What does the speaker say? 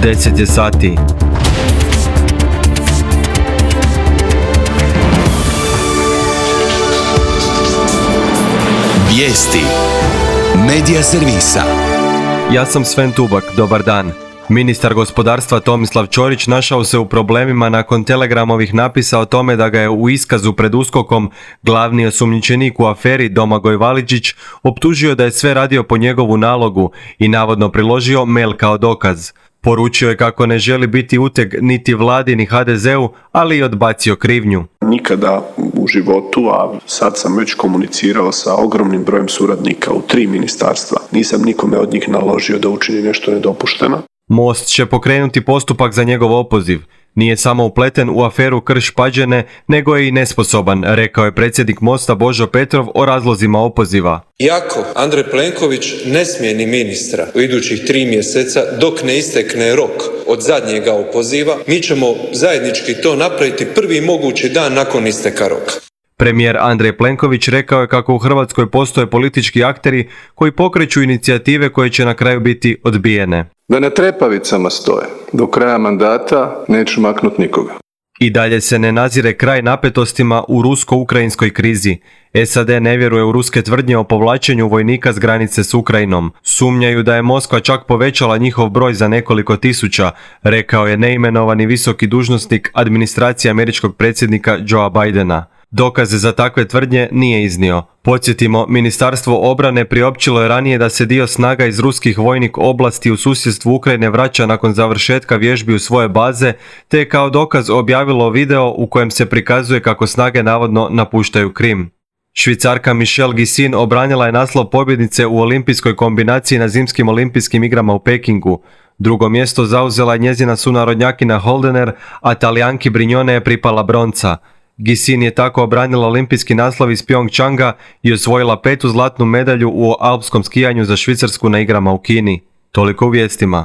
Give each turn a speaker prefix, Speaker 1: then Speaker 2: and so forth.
Speaker 1: 10 je sati.
Speaker 2: Vijesti Medija servisa.
Speaker 1: Ja sam Sven Tubak, dobar dan. Ministar gospodarstva Tomislav Ćorić našao se u problemima nakon Telegramovih napisa o tome da ga je u iskazu pred USKOK-om glavni osumnjičenik u aferi Domagoj Validžić optužio da je sve radio po njegovu nalogu i navodno priložio mail kao dokaz. Poručio je kako ne želi biti uteg niti vladi ni HDZ-u, ali i odbacio krivnju.
Speaker 3: Nikada u životu, a sad sam već komunicirao sa ogromnim brojem suradnika u 3 ministarstva. Nisam nikome od njih naložio da učini nešto nedopušteno.
Speaker 1: Most će pokrenuti postupak za njegov opoziv. Nije samo upleten u aferu Krš-Pađene, nego je i nesposoban, rekao je predsjednik Mosta Božo Petrov o razlozima opoziva.
Speaker 4: Iako Andrej Plenković ne smijeni ministra u idućih 3 mjeseca dok ne istekne rok od zadnjega opoziva, mi ćemo zajednički to napraviti prvi mogući dan nakon isteka roka.
Speaker 1: Premijer Andrej Plenković rekao je kako u Hrvatskoj postoje politički akteri koji pokreću inicijative koje će na kraju biti odbijene.
Speaker 5: Da na trepavicama stoje. Do kraja mandata neću maknuti nikoga.
Speaker 1: I dalje se ne nazire kraj napetostima u rusko-ukrajinskoj krizi. SAD ne vjeruje u ruske tvrdnje o povlačenju vojnika s granice s Ukrajinom. Sumnjaju da je Moskva čak povećala njihov broj za nekoliko tisuća, rekao je neimenovani visoki dužnosnik administracije američkog predsjednika Joea Bidena. Dokaze za takve tvrdnje nije iznio. Podsjetimo, Ministarstvo obrane priopćilo je ranije da se dio snaga iz ruskih vojnih oblasti u susjedstvu Ukrajine vraća nakon završetka vježbi u svoje baze, te je kao dokaz objavilo video u kojem se prikazuje kako snage navodno napuštaju Krim. Švicarka Michelle Gisin obranila je naslov pobjednice u olimpijskoj kombinaciji na zimskim olimpijskim igrama u Pekingu. Drugo mjesto zauzela je njezina sunarodnjakinja Holdener, a Talijanki Brignone je pripala bronca. Gisin je tako obranila olimpijski naslov iz Pyeongchanga i osvojila 5. zlatnu medalju u alpskom skijanju za Švicarsku na igrama u Kini. Toliko u vijestima.